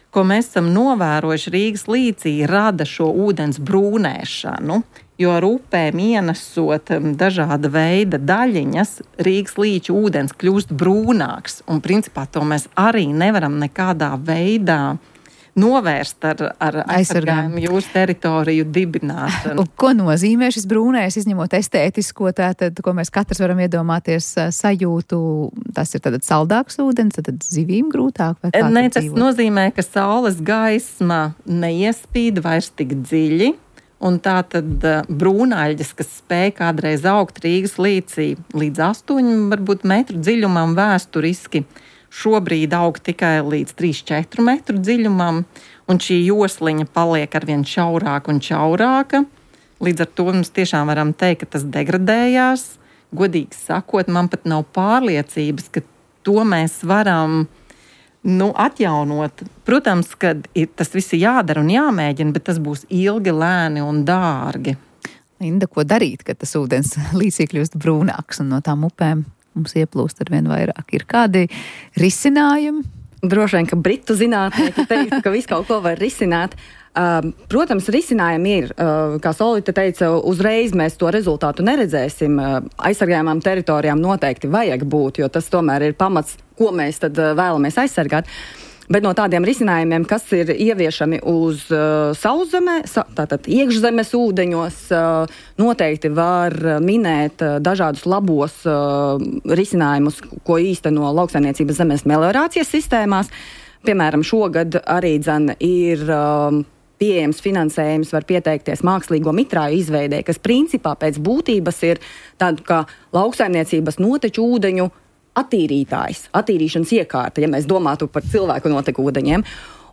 ko mēs esam novērojuši Rīgas līcī, rada šo ūdens brūnēšanu, jo ar upēm ienesot dažāda veida daļiņas, Rīgas līča ūdens kļūst brūnāks, un principā to mēs arī nevaram nekādā veidā novērst ar aizsargājumu jūras teritoriju dibināšanu. Ko nozīmē šis brūnais, izņemot estētisko, tātad, ko mēs katrs varam iedomāties sajūtu, tas ir tātad saldāks ūdens, tad zivīm grūtāk? Vai kā tas nozīmē, ka saules gaisma neiespīd vairs tik dziļi, Un tā tad brūnaļģes, kas spēja kādreiz augt Rīgas līcī līdz 8 varbūt metru dziļumam vēsturiski, šobrīd aug tikai līdz 3-4 metru dziļumam, un šī josliņa paliek arvien šaurāka un šaurāka. Līdz ar to mums tiešām varam teikt, ka tas degradējās. Godīgi sakot, man pat nav pārliecības, ka to mēs varam atjaunot. Protams, ka tas viss ir jādara un jāmēģina, bet tas būs ilgi, lēni un dārgi. Linda, ko darīt, kad tas ūdens līcī kļūst brūnāks un no tām upēm mums ieplūst arvien vairāk? Ir kādi risinājumi? Droši vien, ka britu zinātnieki teikt, ka visu kaut ko var risināt. Protams, risinājumi ir, kā Solvita teica, uzreiz mēs to rezultātu neredzēsim. Aizsargājumām teritorijām noteikti vajag būt, jo tas tomēr ir pamats, ko mēs tad vēlamies aizsargāt. Bet no tādiem risinājumiem, kas ir ieviešami uz sauszemē, tātad iekšzemes ūdeņos, noteikti var minēt dažādus labos risinājumus, ko īsteno lauksaimniecības zemes meliorācijas sistēmās. Piemēram, šogad arī ir pieejams finansējums, var pieteikties mākslīgo mitrāju izveidē, kas principā pēc būtības ir tādu kā lauksaimniecības noteču ūdeņu attīrīšanas iekārta, ja mēs domātu par cilvēku noteku ūdeņiem.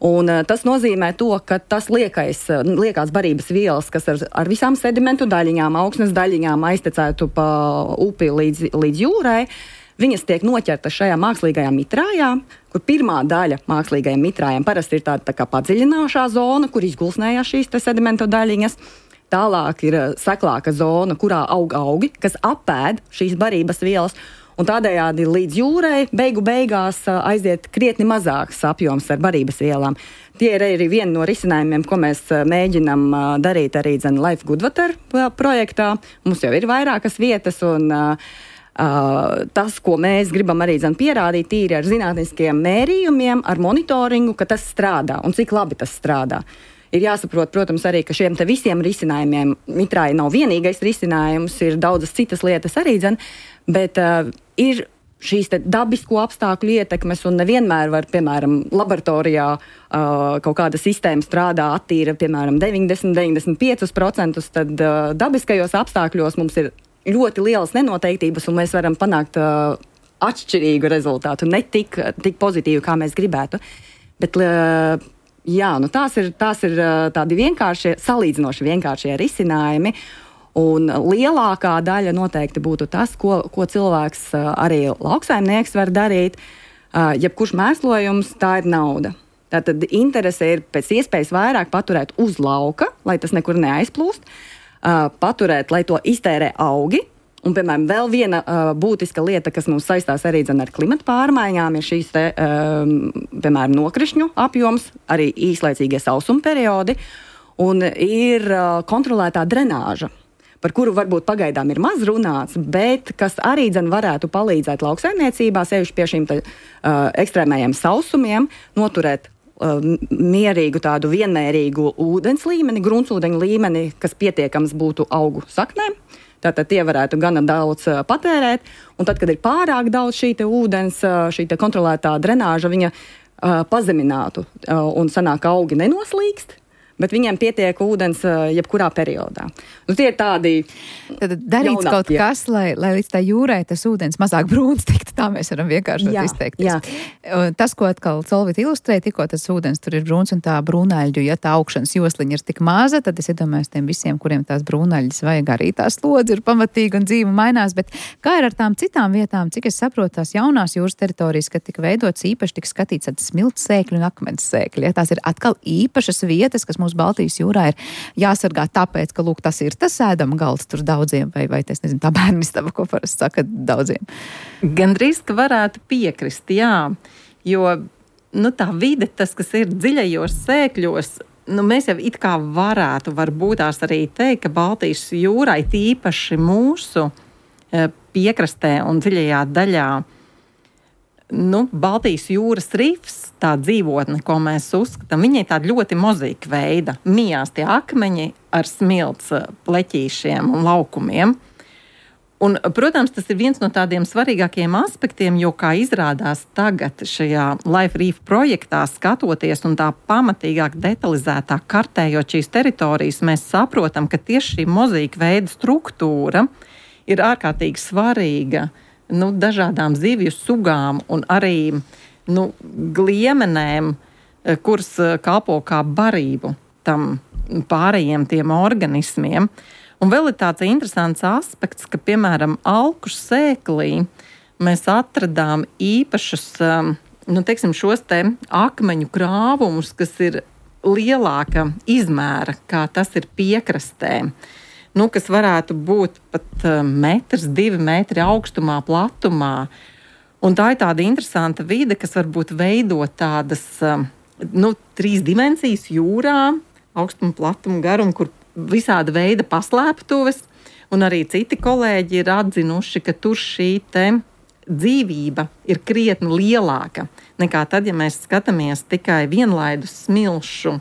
Un tas nozīmē to, ka tas liekās barības vielas, kas ar visām sedimentu daļiņām, augsnes daļiņām aiztecētu pa upi līdz jūrai, viņas tiek noķertas šajā mākslīgajā mitrājā, kur pirmā daļa mākslīgajiem mitrājiem parasti ir tāda tā kā padziļināšā zona, kur izgulsnējās šīs sedimentu daļiņas. Tālāk ir seklāka zona, kurā aug augi, kas apēd šīs barības vielas. Un tādējādi līdz jūrai beigās aiziet krietni mazāks apjoms ar barības vielām. Tie ir arī viena no risinājumiem, ko mēs mēģinam darīt arī Life Good Water projektā. Mums jau ir vairākas vietas, un tas, ko mēs gribam arī pierādīt, tīri ar zinātniskiem mērījumiem, ar monitoringu, ka tas strādā un cik labi tas strādā. Ir jāsaprot, protams, arī, ka šiem te visiem risinājumiem mitrāja nav vienīgais risinājums, ir daudzas citas lietas arī, bet ir šīs te dabisko apstākļu ietekmes, un nevienmēr var, piemēram, laboratorijā kaut kāda sistēma strādā, attīra, piemēram, 90-95%, tad dabiskajos apstākļos mums ir ļoti lielas nenoteiktības, un mēs varam panākt atšķirīgu rezultātu, ne tik pozitīvu, kā mēs gribētu. Bet tās ir tādi salīdzinoši vienkāršie risinājumi. Un lielākā daļa noteikti būtu tas, ko cilvēks, arī lauksaimnieks var darīt. Jebkurš mēslojums, tā ir nauda. Tātad interese ir pēc iespējas vairāk paturēt uz lauka, lai tas nekur neaizplūst, paturēt, lai to iztērē augi. Un, piemēram, vēl viena būtiska lieta, kas mums saistās arī ar klimata pārmaiņām, ir šīs piemēram, nokrišņu apjoms, arī īslaicīgie sausuma periodi, un ir kontrolētā drenāža, par kuru varbūt pagaidām ir maz runāts, bet kas arī varētu palīdzēt lauksaimniecībā, sevišķi pie šīm ekstrēmējiem sausumiem, noturēt mierīgu tādu vienmērīgu ūdens līmeni, gruntsūdeņu līmeni, kas pietiekams būtu augu saknēm. Tātad tie varētu gana daudz patērēt, un tad, kad ir pārāk daudz šī ūdens, šī kontrolētā drenāža, viņa pazeminātu, un sanāk augi nenoslīkst, bet viņiem pietiek ūdens jebkurā periodā. Tie ir tādi tad darīts kaut kas, lai līdz tā jūrai tas ūdens mazāk brūns tiktu, tā mēs varam vienkārši izteikties. Jā. Tas, ko atkal Solvita ilustrēja, tikko tas ūdens tur ir brūns un tā brūnaļģu, ja tā augšanas josliņa ir tik maza, tad es iedomājos tiem visiem, kuriem tās brūnaļģis vajag, arī tās slodzi ir pamatīgi un dzīve mainās, bet kā ir ar tām citām vietām, cik es saprotu, tās jaunās jūras teritorijas, kad tika veidots īpaši, tika skatīts smilts sēkļi un akmens sēkļi. Ja, tās ir atkal īpašas vietas, kas mūsu Baltijas jūrā ir jāsargā tāpēc, ka, lūk, tas ir tas ēdama galds tur daudziem, vai es nezinu, tā bērnistaba, ko parasti saka daudziem. Gandrīz, ka varētu piekrist, jā, jo, tā vide, tas, kas ir dziļajos sēkļos, mēs jau it kā varbūt tās arī teikt, ka Baltijas jūrai tīpaši mūsu piekrastē un dziļajā daļā, Baltijas jūras rifs, tā dzīvotne, ko mēs uzskatām, viņai tāda ļoti mozaika veida. Mijās tie akmeņi ar smilts pleķīšiem un laukumiem. Un, protams, tas ir viens no tādiem svarīgākiem aspektiem, jo, kā izrādās tagad šajā Life Reef projektā skatoties un tā pamatīgāk detalizētāk kartējot šīs teritorijas, mēs saprotam, ka tieši šī mozaīka veida struktūra ir ārkārtīgi svarīga dažādām zivju sugām un arī gliemenēm, kuras kalpo kā barību tam pārējiem tiem organismiem. Un vēl ir tāds interesants aspekts, ka, piemēram, alkušu sēklī mēs atradām īpašus, šos te akmeņu krāvumus, kas ir lielāka izmēra, kā tas ir piekrastē. Kas varētu būt pat 1-2 metri augstumā, platumā. Un tā ir tāda interesanta vide, kas varbūt veido tādas 3 dimensijas jūrā, augstumu, platumu, garumu, kur visāda veida paslēptuves, un arī citi kolēģi ir atzinuši, ka tur šī te dzīvība ir krietni lielāka nekā tad, ja mēs skatāmies tikai vienlaidus smilšu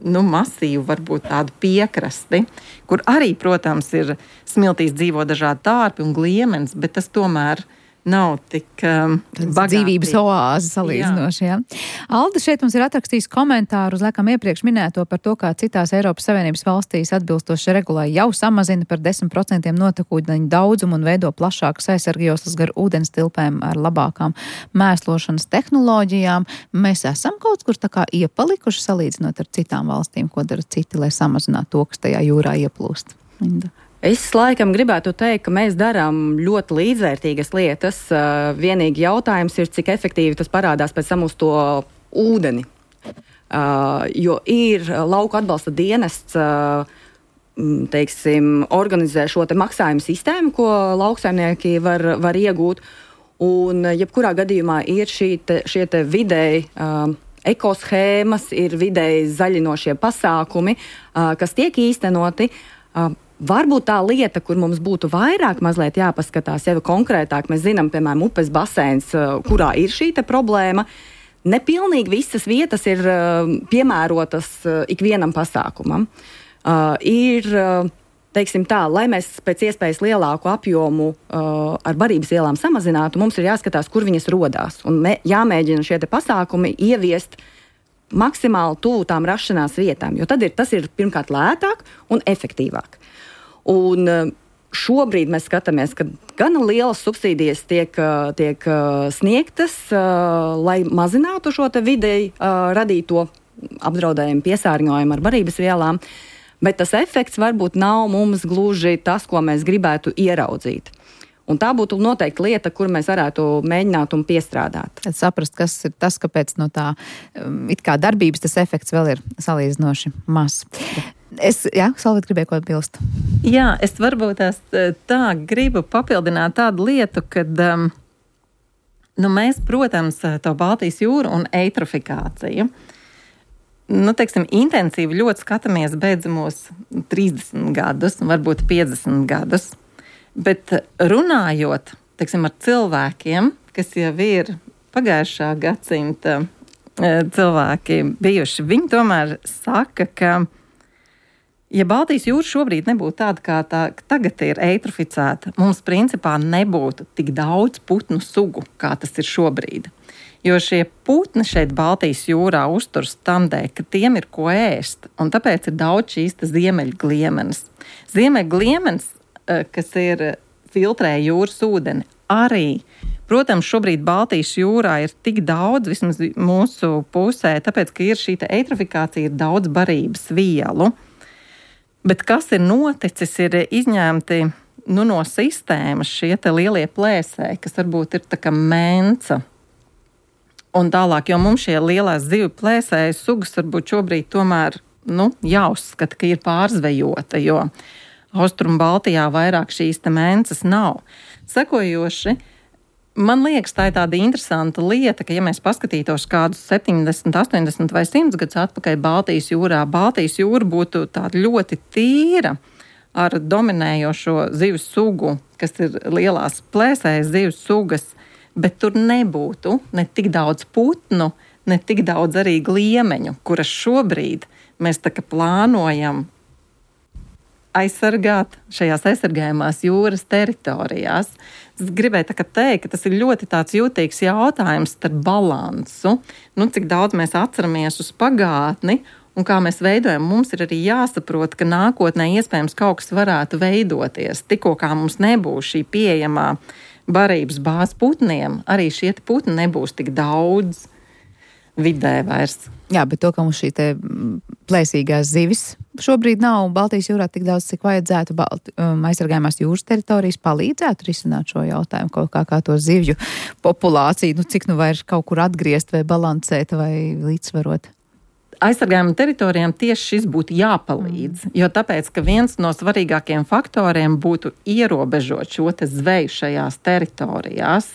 masīvu, varbūt tādu piekrasti, kur arī, protams, ir smiltīs dzīvo dažādi tārpi un gliemenes, bet tas tomēr nav tik bagātīgi. Dzīvības oāze salīdzinoši, jā. Alda šeit mums ir atrakstījis komentāru uz laikam iepriekš minēto par to, kā citās Eiropas Savienības valstīs atbilstoši regulai jau samazina par 10% notekūdeņu daudzumu un veido plašākas aizsargjoslas gar ūdens tilpēm ar labākām mēslošanas tehnoloģijām. Mēs esam kaut kur tā kā iepalikuši salīdzinot ar citām valstīm, ko dara citi, lai samazinātu to, kas tajā jūrā ieplūst. Linda. Es laikam gribētu teikt, ka mēs darām ļoti līdzvērtīgas lietas. Vienīgi jautājums ir, cik efektīvi tas parādās pēc tam uz to ūdeni. Jo ir lauku atbalsta dienests, organizē šo te maksājumu sistēmu, ko lauksaimnieki var iegūt. Un jebkurā gadījumā ir šie te vidēji ekoshēmas, ir vidēji zaļinošie pasākumi, kas tiek īstenoti. Varbūt tā lieta, kur mums būtu vairāk mazliet jāpaskatās, jau konkrētāk, mēs zinām, piemēram, upes baseins, kurā ir šī te problēma. Nepilnīgi visas vietas ir piemērotas ikvienam pasākumam. Ir, teiksim tā, lai mēs pēc iespējas lielāku apjomu ar barības vielām samazinātu, mums ir jāskatās, kur viņas rodās. Un jāmēģina šie te pasākumi ieviest maksimāli tuvu tām rašanās vietām, jo tad tas ir pirmkārt lētāk un efektīvāk. Un šobrīd mēs skatāmies, ka gana lielas subsīdijas tiek sniegtas, lai mazinātu šo te vidēji radīto apdraudējumu piesārņojumu ar barības vielām, bet tas efekts varbūt nav mums gluži tas, ko mēs gribētu ieraudzīt. Un tā būtu noteikti lieta, kur mēs varētu mēģināt un piestrādāt. Tad saprast, kas ir tas, kāpēc no tā it kā darbības tas efekts vēl ir salīdzinoši mazs. Salvīt gribēju ko bilst. Jā, es varbūt tā gribu papildināt tādu lietu, kad mēs, protams, to Baltijas jūru un eitrofikāciju, intensīvi ļoti skatāmies beidzamos 30 gadus, varbūt 50 gadus. Bet runājot, ar cilvēkiem, kas jau ir pagājušā gadsimta cilvēki bijuši, viņi tomēr saka, ka ja Baltijas jūra šobrīd nebūtu tāda, kā tā tagad ir eitroficēta, mums principā nebūtu tik daudz putnu sugu, kā tas ir šobrīd. Jo šie putni šeit Baltijas jūrā uzturas tamdē, ka tiem ir ko ēst, un tāpēc ir daudz šīs ziemeļgliemenes. Ziemeļgliemenes, kas ir filtrē jūras ūdeni, arī, protams, šobrīd Baltijas jūrā ir tik daudz, vismaz mūsu pusē, tāpēc, ka ir šī eitrofikācija, ir daudz barības vielu. Bet kas ir noticis, ir izņemti no sistēmas šie te lielie plēsēji, kas varbūt ir tā kā menca. Un tālāk, jo mums šie lielās zivju plēsēju sugas varbūt šobrīd tomēr jāuzskata, ka ir pārzvejota, jo Austrum Baltijā vairāk šīs te mences nav. Sekojoši, man liekas, tā ir tāda interesanta lieta, ka ja mēs paskatītos kādus 70, 80 vai 100 gadus atpakaļ Baltijas jūra būtu tāda ļoti tīra ar dominējošo zivju sugu, kas ir lielās plēsējas zivju sugas, bet tur nebūtu ne tik daudz putnu, ne tik daudz arī gliemeņu, kuras šobrīd mēs tā kā plānojam aizsargāt šajās aizsargājumās jūras teritorijās. Es gribēju teikt, ka tas ir ļoti tāds jūtīgs jautājums starp balansu, cik daudz mēs atceramies uz pagātni un kā mēs veidojam. Mums ir arī jāsaprot, ka nākotnē iespējams kaut kas varētu veidoties. Tikko kā mums nebūs šī pieejamā barības bāze putniem, arī šie putni nebūs tik daudz vidē vairs. Jā, bet to, ka mums šī te plēsīgās zivis šobrīd nav Baltijas jūrā tik daudz, cik vajadzētu aizsargājumās jūras teritorijas palīdzētu risināt šo jautājumu, kaut kā to zivju populāciju, cik vairs kaut kur atgriezt vai balansēt vai līdzsvarot. Aizsargājuma teritorijām tieši šis būtu jāpalīdz, jo tāpēc, ka viens no svarīgākajiem faktoriem būtu ierobežot šo te zveju šajās teritorijās,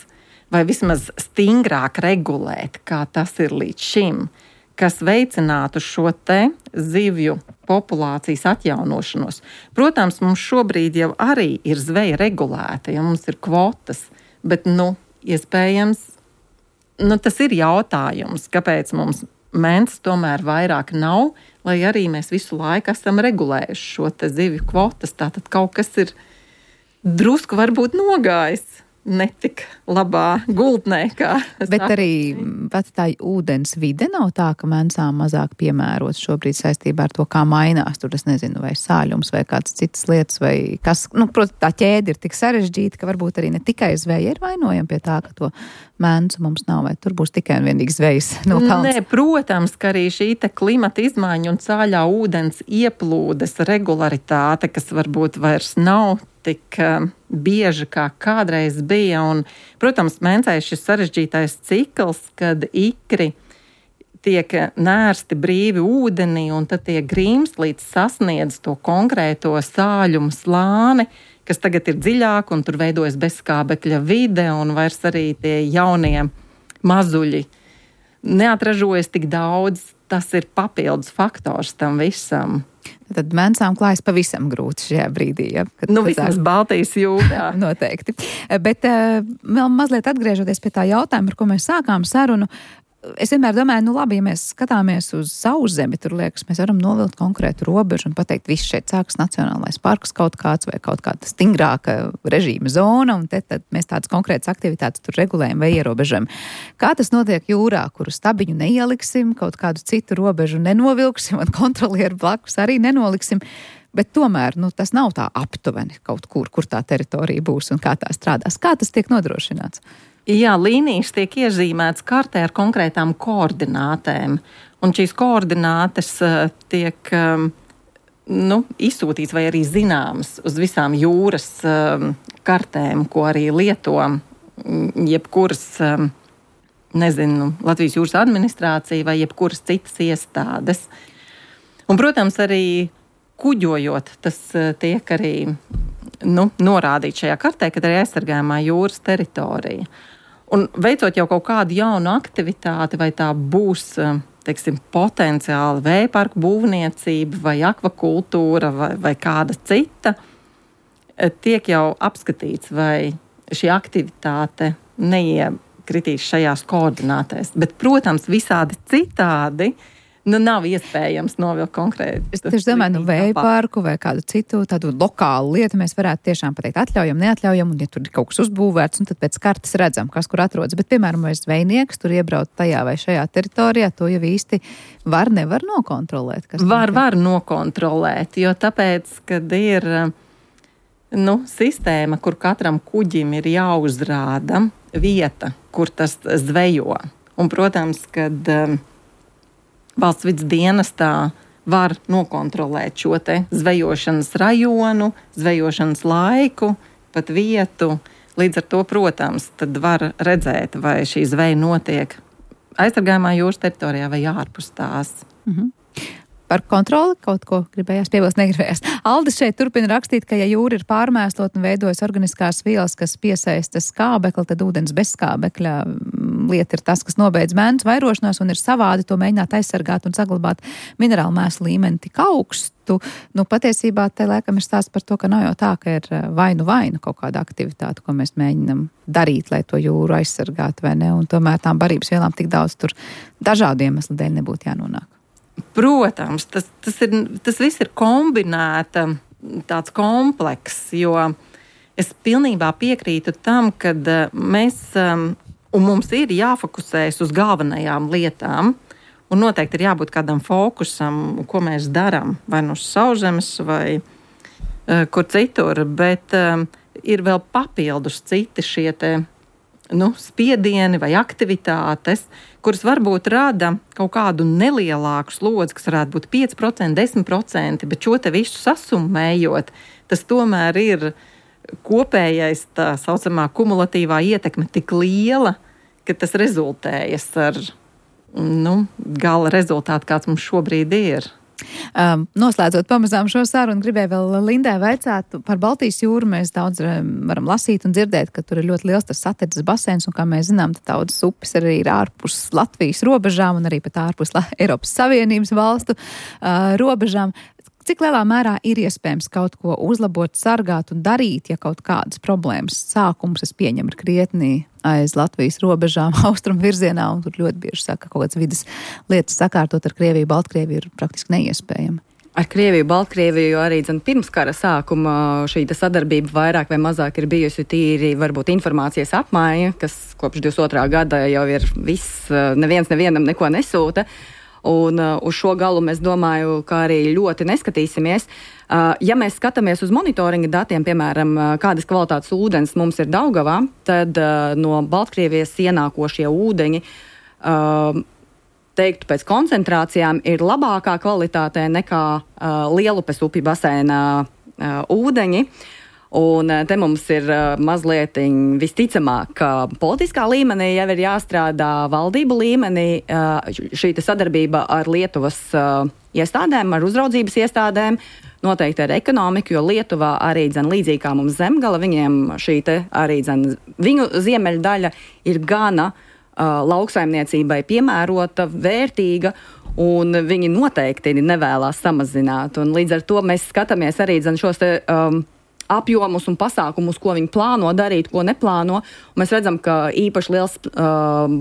vai vismaz stingrāk regulēt, kā tas ir līdz šim, kas veicinātu šo te zivju populācijas atjaunošanos. Protams, mums šobrīd jau arī ir zveja regulēta, ja mums ir kvotas, bet, iespējams, tas ir jautājums, kāpēc mums mentas tomēr vairāk nav, lai arī mēs visu laiku esam regulējuši šo te zivju kvotas. Tātad kaut kas ir drusku varbūt nogājis netik labā gultnē, kā bet arī pat tā ūdens vide nav tā, ka mensām mazāk piemērots šobrīd saistībā ar to, kā mainās tur, es nezinu, vai sāļums vai kādas citas lietas, vai kas, protams, tā ķēde ir tik sarežģīta, ka varbūt arī ne tikai zveja ir vainojama pie tā, ka to mensu mums nav, vai tur būs tikai un vienīgi zvejas no kalns. Nē, protams, ka arī šī te klimata izmaiņa un sāļā ūdens ieplūdes regularitāte, kas varbūt vairs nav tik bieži, kā kādreiz bija. Un, protams, mencēs šis sarežģītais cikls, kad ikri tiek nērsti brīvi ūdenī un tad tie grimst līdz sasniedz to konkrēto sāļumu slāni, kas tagad ir dziļāk un tur veidojas bezskābekļa vide un vairs arī tie jaunie mazuļi neatražojas tik daudz. Tas ir papildus faktors tam visam. Tad mensām klājas pavisam grūti šajā brīdī. Ja, vismaz Baltijas jūrā. Noteikti. Bet vēl mazliet atgriežoties pie tā jautājuma, ar ko mēs sākām sarunu, es vienmēr domāju, labi, ja mēs skatāmies uz Sauszemi, tur liekas, mēs varam novilkt konkrētu robežu un pateikt, viss šeit sākas nacionālais parks kaut kāds vai kaut kāda stingrāka režīma zona, un tad mēs tādas konkrētas aktivitātes tur regulējam vai ierobežam. Kā tas notiek jūrā, kuru stabiņu neieliksim, kaut kādu citu robežu nenovilksim un kontrolieru blakus arī nenoliksim, bet tomēr, tas nav tā aptuveni kaut kur tā teritorija būs un kā tā strādās. Kā tas tiek nodrošināts? Jā, līnijas tiek iezīmētas kartē ar konkrētām koordinātēm, un šīs koordinātes tiek izsūtīts vai arī zināmas uz visām jūras kartēm, ko arī lieto jebkuras, Latvijas jūras administrācija vai jebkuras citas iestādes. Un, protams, arī kuģojot, tas tiek arī norādīts šajā kartē, kad arī aizsargājumā jūras teritorija. Un veicot jau kaut kādu jaunu aktivitāti, vai tā būs, potenciāli vējparku būvniecība vai akvakultūra vai kāda cita, tiek jau apskatīts, vai šī aktivitāte neiekritīs šajās koordinātēs. Bet, protams, visādi citādi nav iespējams novilkt konkrēti. Es tieši domāju, vējparku vai kādu citu tādu lokālu lietu mēs varētu tiešām pateikt atļaujam, neatļaujam, un ja tur ir kaut kas uzbūvēts, un tad pēc kartes redzam, kas kur atrodas. Bet, piemēram, vai zvejnieks tur iebrauc tajā vai šajā teritorijā, to jau īsti nevar nokontrolēt. Var nokontrolēt, jo tāpēc, kad ir sistēma, kur katram kuģim ir jāuzrāda vieta, kur tas zvejo. Un, protams, kad Valsts vidas dienestā var nokontrolēt šo te zvejošanas rajonu, zvejošanas laiku, pat vietu. Līdz ar to, protams, tad var redzēt, vai šī zveja notiek aizsargājumā jūras teritorijā vai ārpus tās. Par kontroli kaut ko gribējās piebilst, negribējās. Aldis šeit turpina rakstīt, ka ja jūra ir pārmēslot un veidojas organiskās vielas, kas piesaista skābekli, tad ūdens bez skābekļa lieta ir tas, kas nobeidz mēnesi vairošanās un ir savādi to mēģināt aizsargāt un saglabāt minerālu mēslu līmeni tik augstu. Patiesībā te laikam ir stāsts par to, ka nav jau tā, ka ir vainu kaut kāda aktivitāte, ko mēs mēģinam darīt, lai to jūru aizsargātu vai ne, un tomēr tām barības vielām tik daudz tur dažādu iemeslu dēļ nebūtu jānonāk. Protams, tas viss ir kombinēta tāds komplekss, jo es pilnībā piekrītu tam, ka mēs, un mums ir jāfokusējas uz galvenajām lietām, un noteikti ir jābūt kādam fokusam, ko mēs darām, vai nu uz sauszemes, vai kur citur, bet ir vēl papildus citi šie te, spiedieni vai aktivitātes, kuras varbūt rada kaut kādu nelielāku slodzi, kas varētu būt 5%, 10%, bet šo te visu sasummējot, tas tomēr ir kopējais tā saucamā kumulatīvā ietekme tik liela, ka tas rezultējas ar gala rezultātu, kāds mums šobrīd ir. Noslēdzot pamazām šo sarunu, gribēju vēl Lindai vaicāt par Baltijas jūru. Mēs daudz varam lasīt un dzirdēt, ka tur ir ļoti liels tas satirdzes basēns, un kā mēs zinām, tad daudzas upes arī ir ārpus Latvijas robežām un arī pat ārpus Eiropas Savienības valstu robežām. Cik lielā mērā ir iespējams kaut ko uzlabot, sargāt un darīt, ja kaut kādas problēmas sākums, es pieņemu, ir krietni aiz Latvijas robežām, austrumu virzienā, un tur ļoti bieži saka, kaut kādas vidas lietas sakārtot ar Krieviju, Baltkrieviju ir praktiski neiespējami. Ar Krieviju, Baltkrieviju arī pirms kara sākuma šī sadarbība vairāk vai mazāk ir bijusi tīri varbūt informācijas apmaiņa, kas kopš 22. gada jau ir viss, neviens nevienam neko nesūta. Un uz šo galu mēs domāju, ka arī ļoti neskatīsimies. Ja mēs skatāmies uz monitoringa datiem, piemēram, kādas kvalitātes ūdens mums ir Daugavā, tad no Baltkrievijas ienākošie ūdeņi, teiktu pēc koncentrācijām, ir labākā kvalitātē nekā Lielupes upju basēnā ūdeņi. Un te mums ir mazliet visticamāk, ka politiskā līmenī jau ir jāstrādā valdību līmenī šī sadarbība ar Lietuvas iestādēm, ar uzraudzības iestādēm, noteikti ar ekonomiku, jo Lietuvā arī līdzīgi kā mums Zemgala, viņiem šī arī viņu ziemeļdaļa ir gana lauksaimniecībai piemērota, vērtīga, un viņi noteikti nevēlās samazināt. Un līdz ar to mēs skatāmies arī šos apjomus un pasākumus, ko viņi plāno darīt, ko neplāno. Un mēs redzam, ka īpaši liels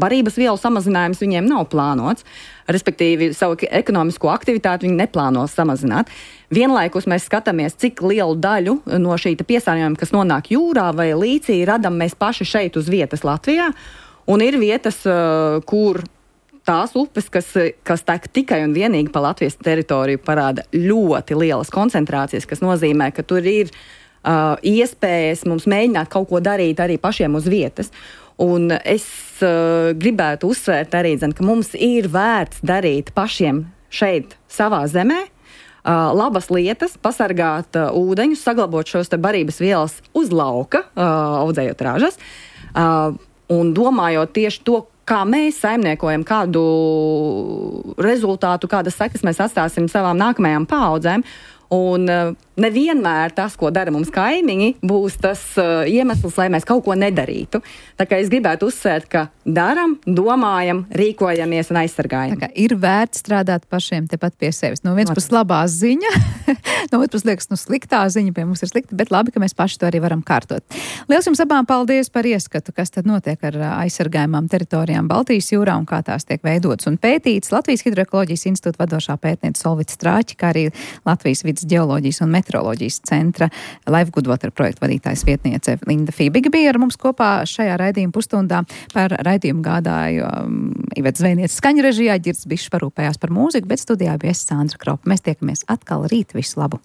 barības vielu samazinājums viņiem nav plānots. Respektīvi, savu ekonomisko aktivitāti viņi neplāno samazināt. Vienlaikus mēs skatāmies, cik lielu daļu no šī piesārņojuma, kas nonāk jūrā vai līcī, radam mēs paši šeit uz vietas Latvijā. Un ir vietas, kur tās upes, kas tek tikai un vienīgi pa Latvijas teritoriju, parāda ļoti lielas koncentrācijas, kas nozīmē, ka tur ir iespējas mums mēģināt kaut ko darīt arī pašiem uz vietas. Un es gribētu uzsvērt arī, ka mums ir vērts darīt pašiem šeit savā zemē labas lietas, pasargāt ūdeņus, saglabāt šos barības vielas uz lauka, audzējot ražas, un domājot tieši to, kā mēs saimniekojam, kādu rezultātu, kādas sekas mēs atstāsim savām nākamajām paaudzēm. Un nevienmēr tas, ko dara mums kaimiņi, būs tas iemesls, lai mēs kaut ko nedarītu. Tā kā es gribētu uzsvērt, ka daram, domājam, rīkojamies un aizsargājam. Tā kā ir vērts strādāt pašiem tepat pie sevis. No vienas puses labā ziņa, no otras puses liekas, sliktā ziņa pie mums ir slikta, bet labi, ka mēs paši to arī varam kārtot. Liels jums abām paldies par ieskatu, kas tad notiek ar aizsargājumām teritorijām Baltijas jūrā un kā tās tiek veidotas un pētītas. Latvijas Hidroekoloģijas institūta vadošā pētniece Solvita Strāķa, kā arī Latvijas vidas ģeoloģijas un meteoroloģijas centra Life Good Water projekta vadītājs vietniece Linda Fībiga bija ar mums kopā šajā raidījuma pusstundā. Par raidījumu gādāju Iveta Zvejniece skaņu režijā, Ģirds Bišs parūpējās par mūziku, bet studijā bija es Sandra Kropa. Mēs tiekamies atkal rīt, visu labu!